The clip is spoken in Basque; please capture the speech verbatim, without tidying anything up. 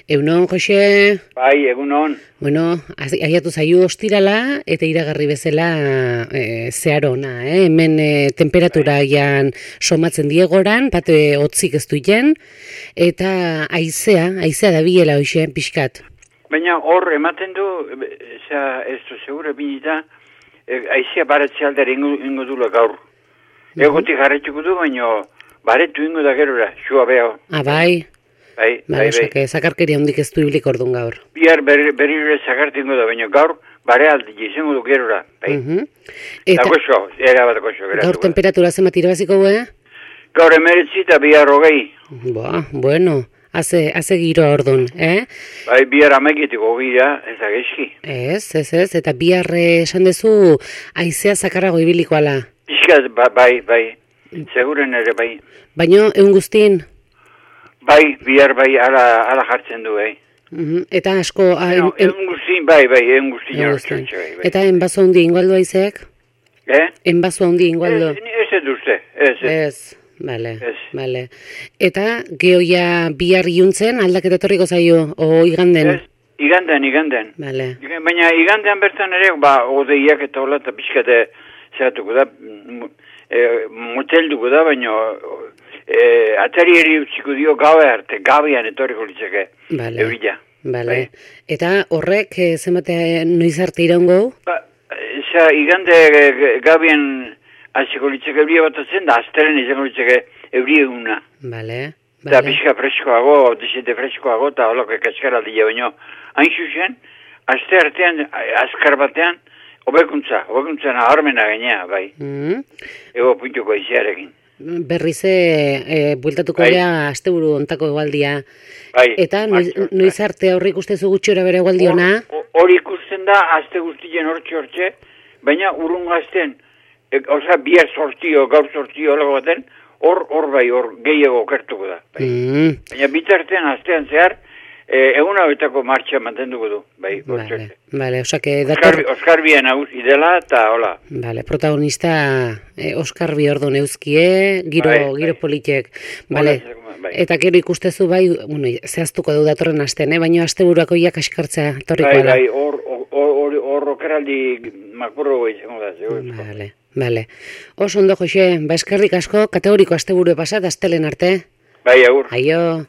Egunon, Jose? Bai, egunon. Bueno, aiatu zaiu ostirala eta iragarri bezala e, zehar ona, eh? Hemen e, temperatura ian somatzen diegoran, bate hotzik ez duien, eta aizea, aizea da biela hoxe, pixkat. Baina hor ematen du, eza, ez du segura binita, e, aizea baratze aldera ingo, ingo dula gaur. Uh-huh. Egotik jarretxuko du, baina baretu ingo da gerora, xua beha. Ah, bai? Bai, ba, bai, bai. Zakarkeria hondik ez du iblik orduan gaur. Bihar berri berri zakartingo da, baina gaur bare aldi izango du gerora. Bai. Uh-huh. Eta goxo, era bat goxo. Gaur temperatura zemat irabaziko gue? Gaur emeretzi eta bihar hogei. Ba, bueno, haze, haze giro orduan, eh? Bai, bihar amekitiko gira, ez da geski. Ez, ez, ez, eta bihar esan dezu aizea zakarrago ibiliko ala. Pixkaz, ba, bai, bai, seguren ere bai. Baina, egun guztin? Bai, bihar bai, ala, ala jartzen du, bai. Uh-huh. Eta asko... No, en, en guztin, bai, bai, en guztin. Bai, bai. Eta enbazo handi ingoaldo aizeak? Eh? Enbazo handi ingoaldo? Ez, ez eduzte, ez. Ez, bale, bale. Eta gehoia bihar iuntzen aldaketa etorriko zaio, o iganden? Ez, iganden, iganden. Bale. Baina igandean bertan ere, ba, odeiak eta hola, eta pixkate zeratuko da, e, motelduko da, baina... E, atari eri utziko dio gabe arte, gabean etorriko litzeke, vale. Eurila. Vale. Bai. Eta horrek, e, zemate noiz arte iraungo? Ba, eza, igande e, gabean aziko litzeke euria batatzen, da aztelen izango litzeke euria eguna. Vale. Vale. Da pixka freskoago, desente freskoago, eta holako ekaskara dira, baina hain zuzen, azte artean, azkar batean, hobekuntza, hobekuntza naharmena gainea, bai. Mm. Ego puntuko iziarekin. Berrize e, bueltatuko bai. Gea asteburu ontako egualdia. Bai. Eta noiz, noiz arte aurre ikustezu gutxora bere egualdi ona? Hori ikusten da, azte guztien hortxe hortxe, baina urrun gazten, e, oza, bihar sortio, gaur sortio, holago baten, hor, hor bai, hor gehiago okertuko da. Bai. Mm. Baina bitartean, aztean zehar, e, egun hauetako martxa mantenduko du, bai, vale, vale, osake, dator... Oskar, Oskar Bien nagusi dela, eta hola. Vale, protagonista eh, Oskar Biordo neuzkie, giro, bai, giro bai. Politek. Vale. Bai. Eta gero ikustezu bai, bueno, zehaztuko du datorren asten, eh? Baina asteburuako iak askartzea torriko bai, ala. Bai, hor, hor, hor, okeraldi makurro goitzeko da, zegoen. Vale, vale. Oso ondo, Jose, ba eskerrik asko, kategoriko asteburu pasat, astelen arte. Bai, agur. Aio.